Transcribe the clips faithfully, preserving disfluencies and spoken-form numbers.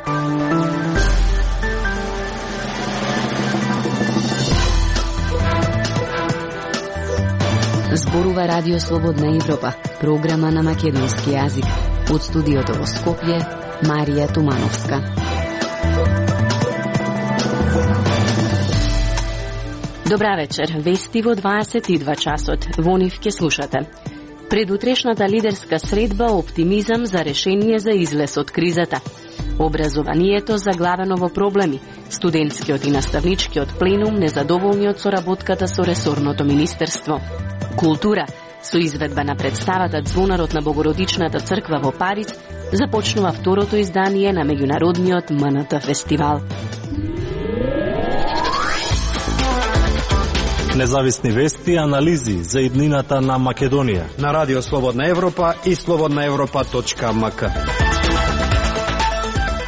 Зборува Радио Слободна Европа, програма на македонски јазик. Од студиото во Скопје, Марија Тумановска. Добра вечер, вести во дваесет и два часот. Во нив ќе слушате. Предутрешната лидерска средба оптимизам за решение за излез од кризата. Образованието заглавено во проблеми. Студентскиот и наставничкиот пленум незадоволни од соработката со ресорното министерство. Култура. Со изведба на представата Звонарот на Богородичната црква во Париз започнува второто издание на меѓународниот М Н Т фестивал. Независни вести и анализи за иднината на Македонија на Радио Слободна Европа и слободна европа точка м к.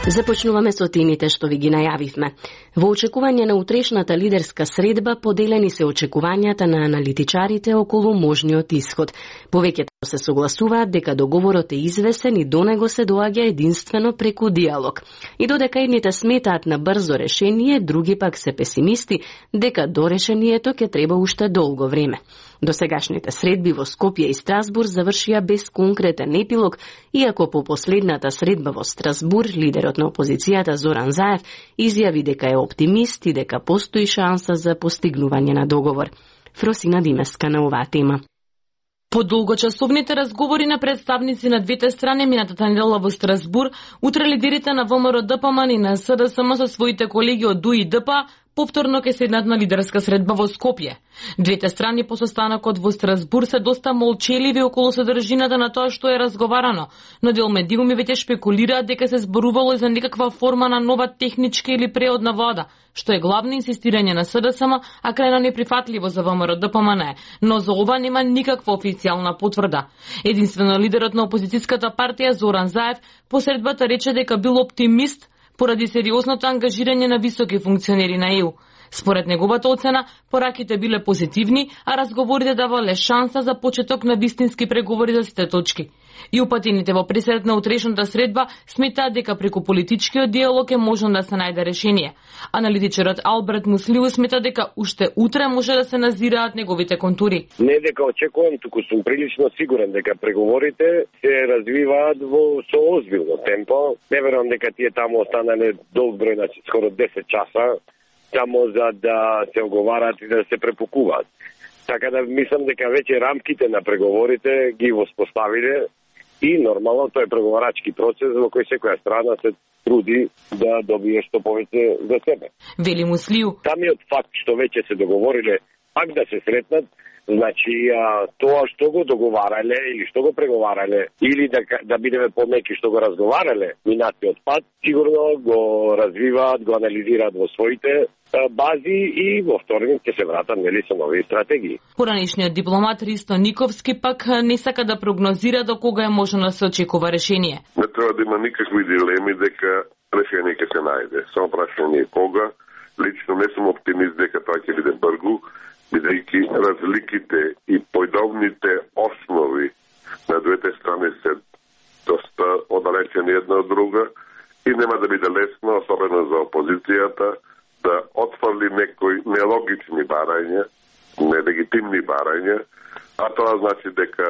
Започнуваме со темите што ви ги најавивме. Во очекување на утрешната лидерска средба поделени се очекувањата на аналитичарите околу можниот исход. Повеќето се согласуваат дека договорот е извесен и до него се доаѓа единствено преку диалог. И додека едните сметаат на брзо решение, други пак се песимисти дека до решението ќе треба уште долго време. Досегашните средби во Скопје и Страсбур завршија без конкретен епилог, иако по последната средба во Страсбур лидерот на опозицијата Зоран Заев изјави дека е оптимист и дека постои шанса за постигнување на договор. Фросина Димеска на оваа тема. По долгочасовните разговори на представници на двете страни минатата недела во Страсбур, утре лидерите на В М Р Д П М Н и на С Д С М со своите колеги од Д У И Д П повторно ќе седнат на лидерска средба во Скопје. Двете страни по состанокот во Страсбур се доста молчеливи околу содржината на тоа што е разговарано, но дел медиуми веќе шпекулираат дека се зборувало за некаква форма на нова техничка или преодна вода, што е главно инсистирање на С Д С М, а крајно неприфатливо за В М Р Д П М Н, но за ова нема никаква официјална потврда. Единствено лидерот на опозицијската партија Зоран Заев по средбата рече дека бил оптимист поради сериозното ангажирање на високи функционери на Е У. Според неговата оцена, пораките биле позитивни, а разговорите давале шанса за почеток на вистински преговори за сите точки. И упатените во пресред на утрешната средба сметаат дека преку политичкиот диалог е можно да се најде решение. Аналитичарот Алберт Муслиу смета дека уште утре може да се назираат неговите контури. Не дека очекувам, туку сум прилично сигурен дека преговорите се развиваат во со озбилно темпо. Не верувам дека тие таму останале долг број, значи скоро десет часа, само за да се оговарат и да се препукуваат. Така да мислам дека веќе рамките на преговорите ги воспоставиле и нормално тој е преговарачки процес во кој секоја страна се труди да добие што повеќе за себе. Вели Муслиу. Самиот факт што веќе се договориле пак да се сретнат, значи а, тоа што го договарале или што го преговарале или да, да бидеме помеки што го разговарале минатиот пат, сигурно го развиваат, го анализираат во своите а, бази и во вторник ќе се вратат нели со нови стратегии. Поранешниот дипломат Ристо Никовски пак не сака да прогнозира до кога е можно да се очекува решение. Не треба да има никакви дилеми дека решение ќе се најде. Само прашање е кога. Лично не сум оптимист дека тоа ќе биде брзо, бидејќи разликите и појдовните основи на двете страни се доста оддалечени една од друга и нема да биде лесно, особено за опозицијата, да отфрли некои нелогични барања, нелегитимни барања, а тоа значи дека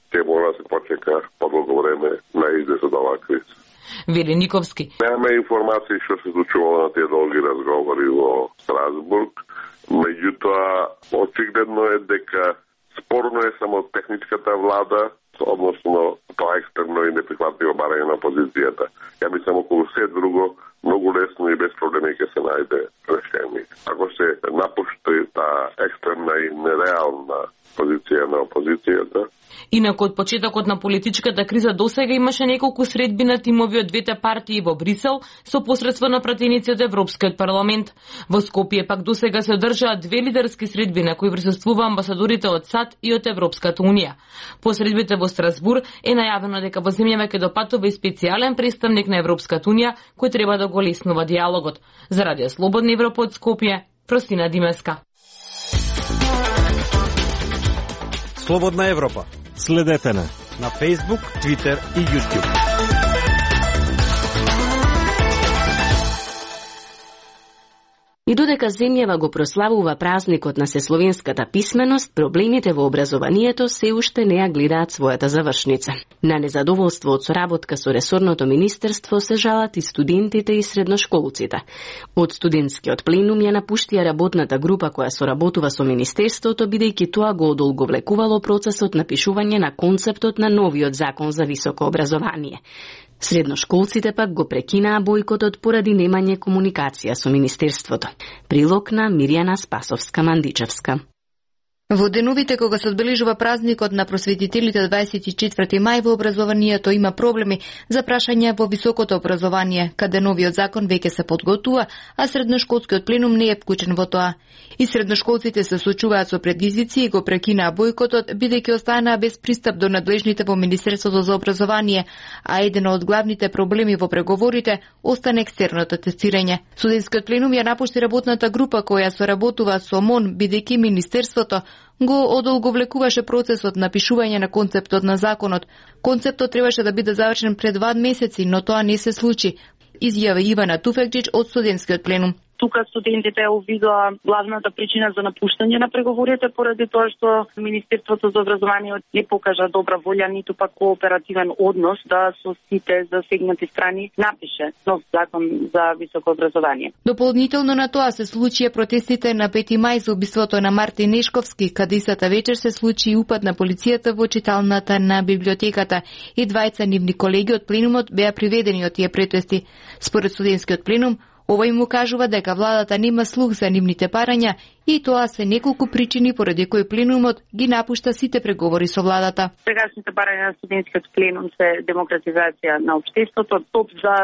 ќе мора да се почека подолго време на излез од оваа криза. Вели Никовски. Немаме информации што се случувало на тие долги разговори во Страсбург. Меѓутоа, очигледно е дека спорно е само техничката влада, односно тоа екстерно и неприхватливо барање на опозицијата. Ја мислам околу се друго, многу лесно и без проблеми ќе се најде решение. Ако се напушти таа екстерна и нереална позиција на опозицијата. Инаку од почетокот на политичката криза досега имаше неколку средби на тимови од двете партии во Брисел со посредство на пратеници од Европскиот парламент. Во Скопје пак досега се одржаат две лидерски средби на кои присуствува амбасадорите од САД и од Европската унија. По средбите во Страсбур е најавено дека во земјава ќе допатува и специјален представник на Европската унија кој треба да го леснува диалогот. За Радио Слободна Европа од Скопје, Простина Димеска. Слободна Европа. Следете на на Facebook, Twitter и YouTube. И додека земјава го прославува празникот на сесловенската писменост, проблемите во образованието се уште не ја гледаат својата завршница. На незадоволство од соработка со ресорното министерство се жалат и студентите и средношколците. Од студентскиот пленум ја напуштија работната група која соработува со министерството, бидејќи тоа го одолговлекувало процесот на пишување на концептот на новиот закон за високо образование. Средношколците пак го прекинаа бојкотот поради немање комуникација со министерството. Прилог на Мирјана Спасовска-Мандичевска. Во деновите кога се одбележува празникот на просветителите дваесет и четврти мај, во образованието има проблеми за прашања во високото образование, каде новиот закон веќе се подготвува, а средношколскиот пленум не е вклучен во тоа. И средношколците се соочуваат со предизвици и го прекинаа бојкотот, бидејќи останаа без пристап до надлежните во Министерството за образование, а еден од главните проблеми во преговорите остане екстерното тестирање. Студентскиот пленум ја напушти работната група која соработува со МОН, бидејќи Министерството го одолговлекуваше процесот на пишување на концептот на законот. Концептот требаше да биде завршен пред два месеци, но тоа не се случи, изјави Ивана Туфекџич од студентскиот пленум. Тука студентите увидоа главната причина за напуштање на преговорите поради тоа што Министерството за образование не покажа добра волја, ниту пак кооперативен однос да со сите засегнати страни напише нов закон за високо образование. Дополнително на тоа се случија протестите на пети мај за убиството на Мартин Нешковски, каде истата вечер се случи и упад на полицијата во читалната на библиотеката и двајца нивни колеги од пленумот беа приведени од тие претести. Според студентскиот пленум, овој му кажува дека владата нема слух за нивните парања и тоа се неколку причини поради кои пленумот ги напушта сите преговори со владата. Сегашните барања на студентскиот пленум се демократизација на општеството, топ за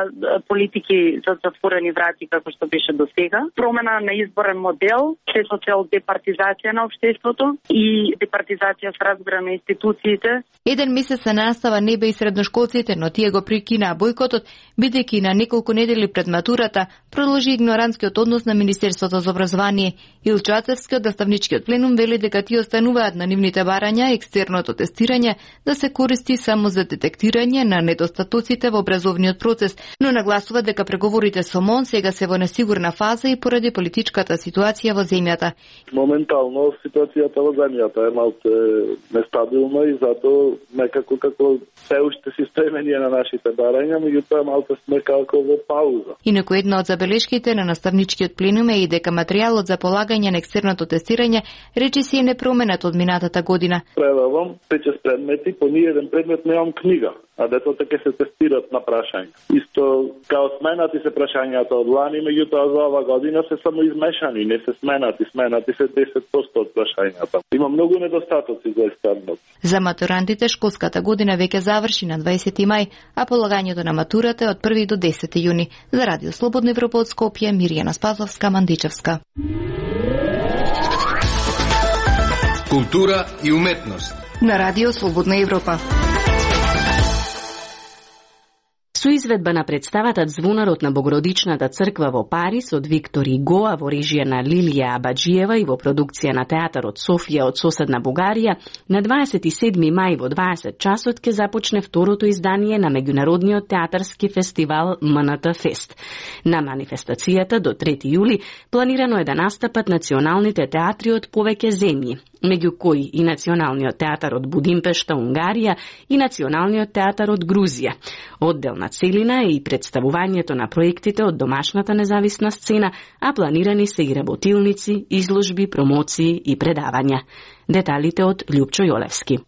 политики за затворени врати како што беше до сега, промена на изборен модел, се со цел департизација на општеството и департизација со разбира на институциите. Еден месец се настава не бе и средношколците, но тие го прикинаа бојкотот, бидејќи на неколку недели пред матурата продолжи игноранскиот однос на Министерството за образование. Илчо Ацевски од наставничкиот пленум вели дека тие остануваат на нивните барања екстерното тестирање да се користи само за детектирање на недостатоците во образовниот процес, но нагласува дека преговорите со МОН сега се во несигурна фаза и поради политичката ситуација во земјата. Моментално ситуацијата во земјата е малку нестабилна и затоа некако како се уште си стремени на нашите барања, меѓутоа малку сме како во пауза. Инаку една од забелешките на наставничкиот пленум е и дека материјалот за полагање на екстерното тестирање речиси е непроменет од минатата година. Предавам петшест предмети, по ниеден предмет немам книга, а децата ќе се тестират на прашања. Исто као сменати се прашањата од лани, меѓутоа за ова година се само измешани, не се сменати, сменати се десет проценти од прашањата. Има многу недостатоци за екстернот. За матурантите школската година веќе заврши на дваесети мај, а полагањето на матурата е од први до десети јуни. За Радио Слободна Европа од Скопје, Мирјана Спасовска-Мандичевска. Култура и уметност на Радио Слободна Европа. Со изведба на представата Звонарот на Богородичната црква во Париз од Виктор Игоа во режија на Лилија Абаџиева и во продукција на Театарот Софија од соседна Бугарија, на дваесет и седми мај во дваесет часот ќе започне второто издание на меѓународниот театарски фестивал М Н Т Фест. На манифестацијата до трети јули планирано е да настапат националните театри од повеќе земји, меѓу кои и Националниот театар од Будимпешта, Унгарија и Националниот театар од Грузија. Одделна целина е и представувањето на проектите од домашната независна сцена, а планирани се и работилници, изложби, промоции и предавања. Деталите од Љупчо Јолевски.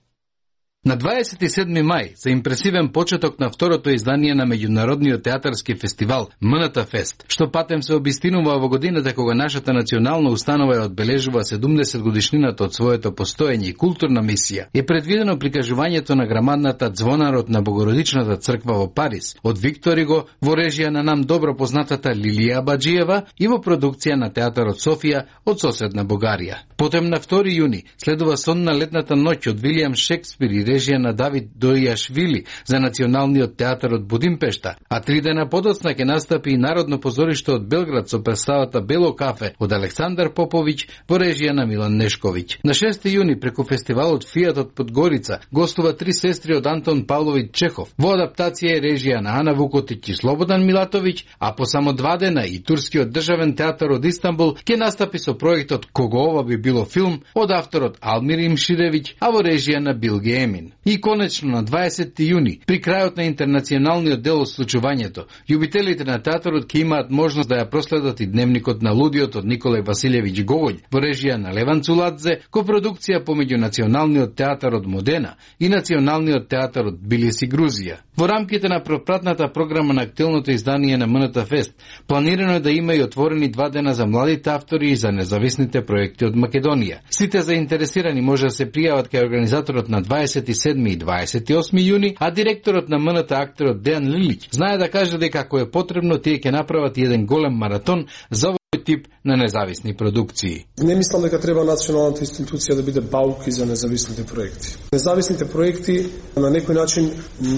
На дваесет и седми мај, за импресивен почеток на второто издание на меѓународниот театарски фестивал М Н Т Фест, што патем се обистинува во годината кога нашата национална установа ја одбележува седумдесет годишнината од своето постоење и културна мисија, е предвидено прикажувањето на грамадната Звонарот на Богородичната црква во Париз од Виктор Иго во режија на нам добро познатата Лилија Абаџиева и во продукција на Театарот Софија од соседна Бугарија. Потем на втори јуни следува сонна летната ноќ од Вилијам Шекспир и режија на Давид Дојашвили за Националниот театар од Будимпешта, а три дена подоцна ќе настапи и Народно позориште од Белград со представата Бело кафе од Александар Поповиќ во режија на Милан Нешковиќ. На шести јуни преку фестивалот Фијат од Подгорица гостува три сестри од Антон Павловиќ Чехов во адаптација и режија на Ана Вукотиќ и Слободан Милатовиќ, а по само два дена и Турскиот државен театар од Истанбул ќе настапи со проектот Кого ова би било филм од авторот Алмир Имширевиќ, а во режија на Билги Емин. И конечно на дваесети јуни, при крајот на интернационалниот дел од случувањето, љубителите на театарот ќе имаат можност да ја проследат и дневникот на лудиот од Николај Василевиќ Гоголј во режија на Леван Цуладзе, копродукција помеѓу Националниот театар од Модена и Националниот театар од Тбилиси, Грузија. Во рамките на пропратната програма на актуелното издание на МНТ Фест, планирано е да има и отворени два дена за младите автори и за независните проекти од Македонија. Сите заинтересирани може да се пријават кај организаторот на дваесет и седми и дваесет и осми јуни, а директорот на МНТ акторот Дејан Лилиќ знае да каже дека ако е потребно, тие ќе направат еден голем маратон за овој тип на независни продукции. Не мислам дека треба националната институција да биде бауки за независните проекти. Независните проекти на некој начин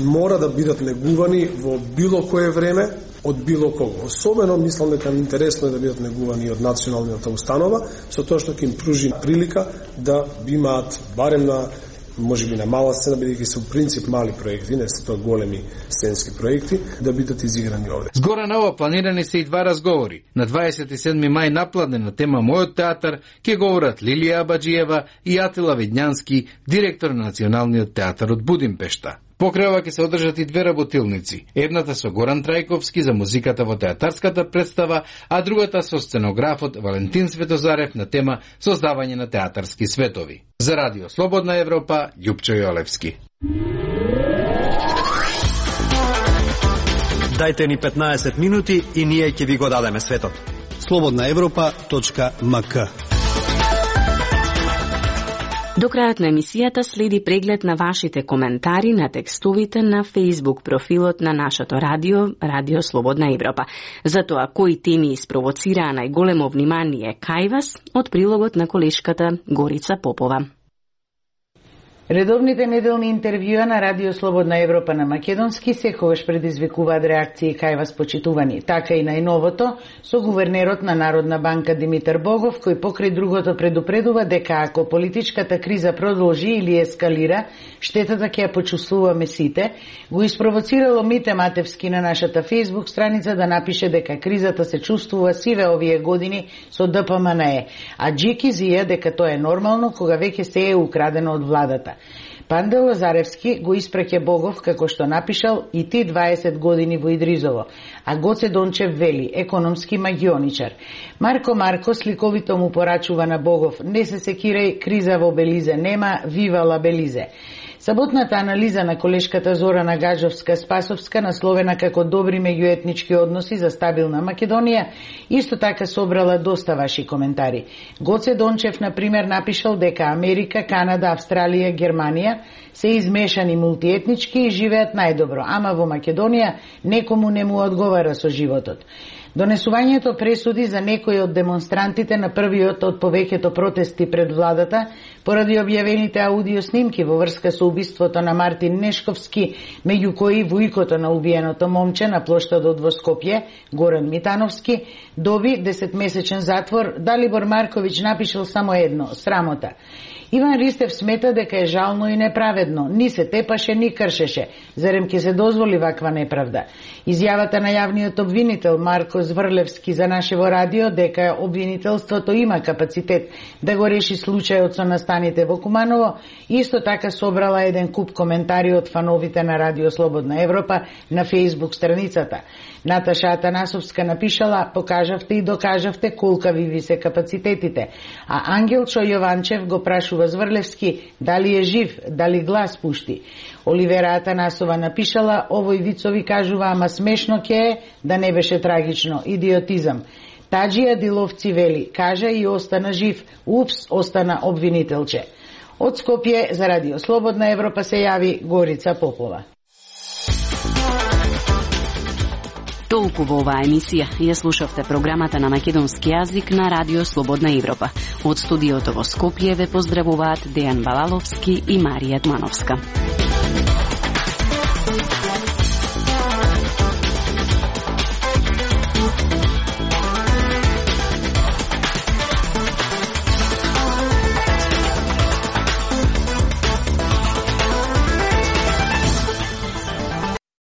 мора да бидат негувани во било кое време од било кого. Особено мислам дека интересно е да бидат негувани од националната установа, со тоа што ќе им пружи прилика да имаат барем на може би на мала сцена, бидејќи се у принцип мали проекти, не се тоа големи сценски проекти, да бидат изиграни овде. Згора на ова планирани се и два разговори. На дваесет и седми мај напладне на тема Мојот театар ќе говорат Лилија Абаджиева и Атила Видњански, директор на Националниот театар од Будимпешта. Покрај ова ќе се одржат и две работилници. Едната со Горан Трајковски за музиката во театарската представа, а другата со сценографот Валентин Светозарев на тема создавање на театарски светови. За Радио Слободна Европа, Љупчо Јолевски. Дајте ни петнаесет минути и ние ќе ви го дадеме светот. слободна европа точка ем ка. До крајот на емисијата следи преглед на вашите коментари на текстовите на Facebook профилот на нашето радио, Радио Слободна Европа. За тоа кои теми испровоцираа најголемо внимание кај вас од прилогот на колешката Горица Попова. Редовните неделни интервјуа на Радио Слободна Европа на македонски секогаш предизвикуваат реакции кај вас почитувани. Така и најновото со гувернерот на Народна банка Димитар Богов, кој покрај другото предупредува дека ако политичката криза продолжи или ескалира, штетата ќе ја почувствуваме сите, го испровоцирало Мите Матевски на нашата Facebook страница да напише дека кризата се чувствува сиве овие години со Д П М Н Е, а Джики зија дека тоа е нормално кога веќе се е украдено од владата. Панде Лазаревски го испраќа Богов како што напишал и ти дваесет години во Идризово, а Гоце Дончев вели економски магионичар. Марко Марко сликовито му порачува на Богов: не се секирај, криза во Белизе нема, вивала Белизе. Саботната анализа на колешката Зорана Гаджовска-Спасовска, насловена како добри меѓуетнички односи за стабилна Македонија, исто така собрала доста ваши коментари. Гоце Дончев, например, напишал дека Америка, Канада, Австралија, Германија се измешани мултиетнички и живеат најдобро, ама во Македонија некому не му одговара со животот. Донесувањето пресуди за некои од демонстрантите на првиот од повеќето протести пред владата поради објавените аудио снимки во врска со убиството на Мартин Нешковски, меѓу кои вујкото на убиеното момче на плоштадот во Скопје, Горан Митановски, доби десетмесечен затвор. Далибор Марковиќ напишал само едно: срамота. Иван Ристев смета дека е жално и неправедно. Ни се тепаше, ни кршеше. Зарем ќе се дозволи ваква неправда? Изјавата на јавниот обвинител Марко Зврлевски за нашево радио дека обвинителството има капацитет да го реши случајот со настаните во Куманово, исто така собрала еден куп коментари од фановите на Радио Слободна Европа на Facebook страницата. Наташа Атанасовска напишала: покажавте и докажавте колкави ви се капацитетите. А Ангелчо Јованчев го прашува Зврлевски дали е жив, дали глас пушти. Оливера Атанасова напишала: овој вицови кажува, ама смешно ќе е, да не беше трагично, идиотизам. Таджија Диловци вели: кажа и остана жив, упс, остана обвинителче. Од Скопје за Радио Слободна Европа се јави Горица Попова. Толку во оваа емисија. Ја слушавте програмата на македонски јазик на Радио Слободна Европа. Од студиото во Скопје ве поздравуваат Дејан Балаловски и Марија Дмановска.